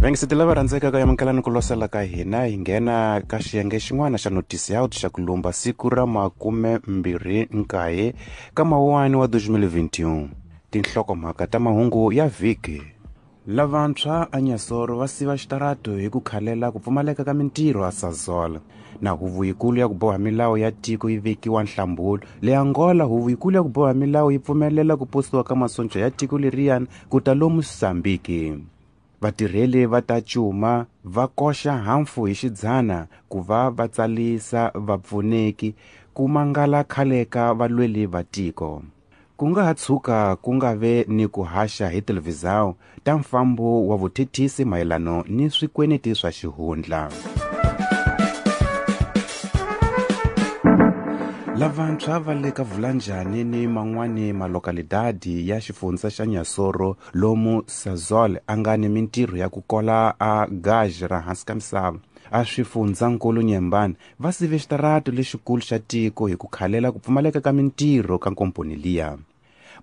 Vaingiseti lava rhandzekaka, amukelani ku losela ka hina. Hi nghena ka xiyenge xin'wana xa notice out xa ku lumba siku ra 29 ka mawuwani wa 2021. Tinhlokomhaka ta mahungu ya vhiki. Lavantshwa a Nyasoro va siva xitarato hi ku khalela ku pfumaleka ka mintirho a Sasol. Na huvo yikulu ya ku boha milawu ya tiko yi vekiwa nhlambulo. Le Angola, huvo yikulu ya ku boha milawu yi pfumelela ku posiwa ka masonja ya tiko leriyani ku ta lomu Mozambique. Vatirheli va ta cuma va koxa hafu hi xidzana ku va va tsalisa vapfuneki ku mangala khale ka valweli va tiko. Ku nga ha tshuka ku nga ve ni ku haxa hi televhizawu ta mfambo wa vuthethisi mayelano ni swikweneti swa xihundla. Lavantshwa va le ka Vulanjani ni man'wani malokalidadi ya xifundza xa Nyasoro lomu Sasol a nga ni mintirho ya ku kola a gaj ra hansi ka misava a swifundzankulu Nyembani va sive xitarato lexikulu xa tiko hi ku khalela ku pfumaleka ka mintirho ka nkomponi liya.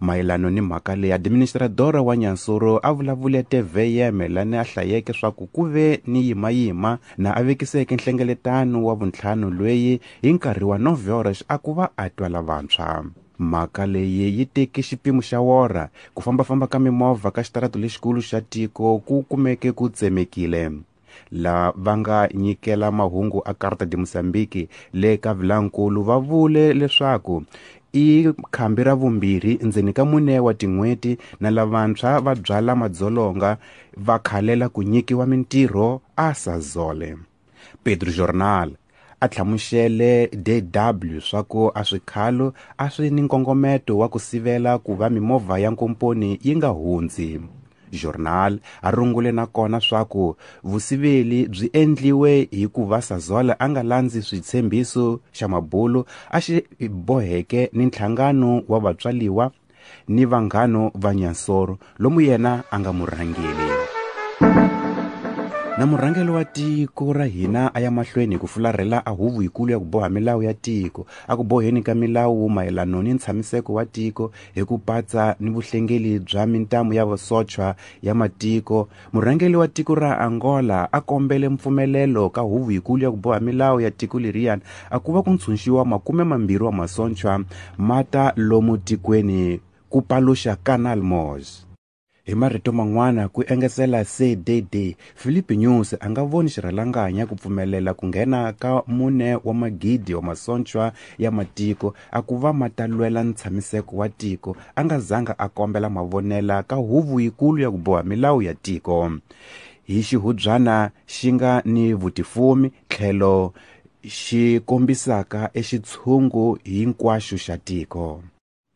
Mayelano ni mhaka leyi, administradora wa Nyansoro a vulavule TVM lani a hlayeke swa ku ku ve ni yimayima na a vekiseke nhlengeletano wa vuntlhanu lweyi hi nkarhi wa 9 horas a ku va a twa lavantshwa. Mhaka leyi yi teke xipimo xa wora. Ku fambafamba ka mimovha ka xitarato lexikulu xa tiko ku kumeke ku tsemekile. La va nga nyikela mahungu a Carta de Mozambique le ka Vilankulu va vule leswaku i khambi ra vumbirhi ndzeni ka 4 wa tin'hweti na lavantshwa va byala madzolonga va khalela ku nyikiwa mintirho a Sazole. Pedro Jornal a hlamusele DW swa ku a swikhalo a swi ni nkongometo wa ku sivela ku va mimovha ya nkomponi yi nga hundzi. Journal a rungule na kona swa ku vusiveli byi endliwe hi ku va Sasol a nga landzi switshembiso xa mabulu a xi boheke ni nhlangano wa vatswaliwa ni vanghano va Nyansoro lomu yena a nga murhangeli. Na murhangeri wa tiko ra hina a ya mahlweni hi ku fularhela a huvo yikulu ya ku boha milawu ya tiko a ku boheni ka milawu mayelano ni ntshamiseko wa tiko hi ku patsa ni vuhlengeli bya mintamu ya vasochwa ya matiko. Murhangeri wa tiko ra Angola a kombele mpfumelelo ka huvo yikulu ya ku boha milawu ya tiko leriyani a ku va ku ntshunxiwa 20 wa masochwa ma ta lomu tikweni ku paluxa Canal Mos. Hi marito man'wana ku engetela CDD, Filipe Nyusi a nga voni xirhalanganya ku pfumelela ku nghena ka 4 wa magidi wa masochwa ya matiko a ku va ma ta lwela ntshamiseko wa tiko a nga zanga a kombela mavonela ka huvo yikulu ya ku boha milawu ya tiko. Hi xihubyana xi nga ni vutifumi tlhelo xi kombisaka exitshungu hinkwaxo xa tiko.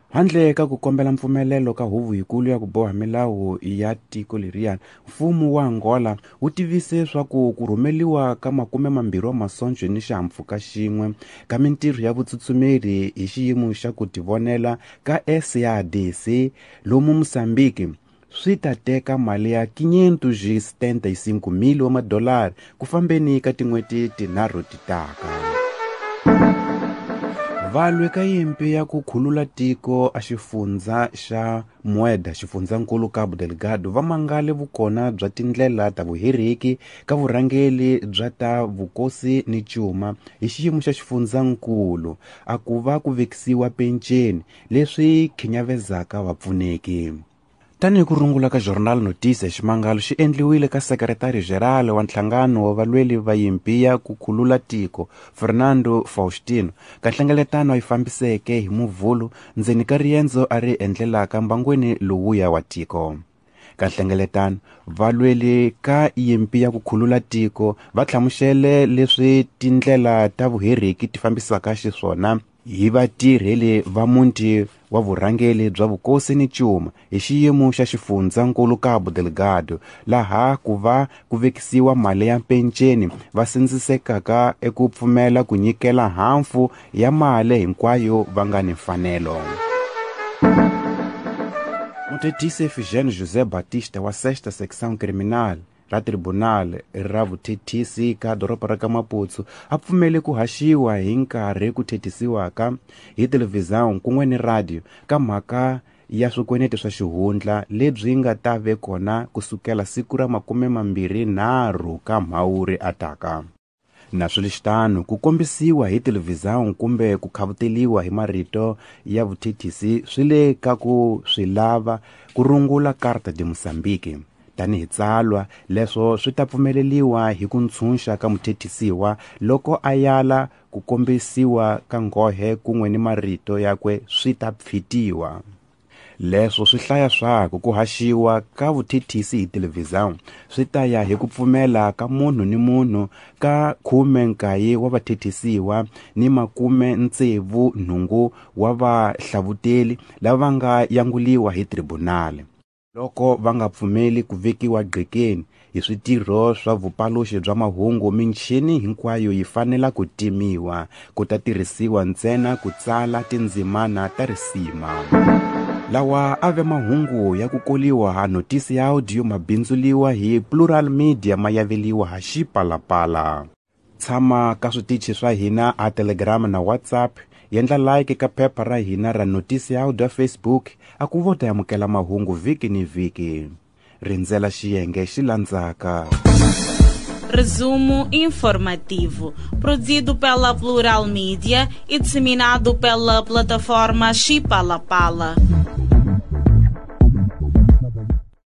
Handle ka ku kombela mpfumelelo ka huvo yikulu ya ku boha milawu ya tiko leriyani, mfumo wa Angola wu tivise swa ku ku rhumeliwa ka 20 wa masonjo ni xihahampfhuka xin'we ka mintirho ya vutsutsumeli hi xiyimo xa ku tivonela ka SADC lomu Mozambique swi ta teka mali ya 575 mil wa madolari ku fambeni ka tin'hweti tinharhu ti taka. Valwi ka yimpi ya ku khulula tiko a xifundza xa Mueda, xifundzankulu Cabo Delgado, va mangale vukona bya tindlela ta vuheriki ka vurhangeli bya ta vukosi ni cuma hi xiyimo xa xifundzankulu a ku va ku vekisiwa penceni leswi khinyavezaka vapfuneki. Tanihi ku rungula ka Jornal Notícia, ximangalo xi endliwile ka sekretari general wa nhlangano wa valweli va yimpi ya ku khulula tiko Fernando Faustino ka nhlengeletano yi fambiseke hi Muvhulu ndzeni ka riendzo a ri endlelaka mbangweni lowuya wa tiko. Ka nhlengeletano valweli ka yimpi ya ku khulula tiko va hlamusele leswi tindlela ta vuheriki ti fambisaka xiswona hi vatirheli va muti wa vurhangeli bya vukosi ni cuma hi xiyimo xa xifundzankulu Cabo Delgado laha ku va ku vekisiwa mali ya penceni va sindzisekaka eku pfumela ku nyikela hafu ya mali hinkwayo va nga ni mfanelo. Muthethisi Efigênio José Batista wa Sexta Secção Criminal ra Tribunal ra vuthethisi ka doroba ra ka Maputo a pfumele ku haxiwa hi nkarhi ku thethisiwaka hi televhizão kun'we ni radio ka mhaka ya swikweneti swa xihundla lebyi nga ta ve kona kusukela siku ra 23 ka Mhawuri ataka. Naswilixitano, ku kombisiwa hi televhizão kumbe ku khavuteliwa hi marito ya vuthethisi swi le ka ku swi lava ku rungula Carta de Moçambique tanihi tsalwa. Leswo swi ta pfumeleliwa hi ku ntshunxa ka muthethisiwa loko a yala ku kombisiwa ka nghohe kun'we ni marito yakwe swi ta pfitiwa. Leswo swi hlaya swaku ku haxiwa ka vuthethisi hi televhizão swi ta ya hi ku pfumela ka munhu ni munhu ka 19 wa vathethisiwa ni 68 wa vahlavuteli lava nga yanguliwa hi tribunali. Loko va nga pfumeli ku vekiwa gqekeni hi switirho swa vupaluxi bya mahungu, michini hinkwayo yi fanela ku timiwa, ku ta tirhisiwa ntsena ku tsala tindzimana ta risima. Lawa a ve mahungu ya ku koliwa ha notisi ya audio mabindzuliwa hi Plural Media mayaveliwa ha Xipalapala. Tshama ka switichi swa hina a Telegram na WhatsApp, yendla like ka phepha ra hina ra notisi ya audio Facebook, a ku vo ta amukela mahungu vhiki ni vhiki. Rindzela xiyenge xi landzaka. Resumo informativo, produzido pela Plural Mídia e disseminado pela plataforma Xipalapala.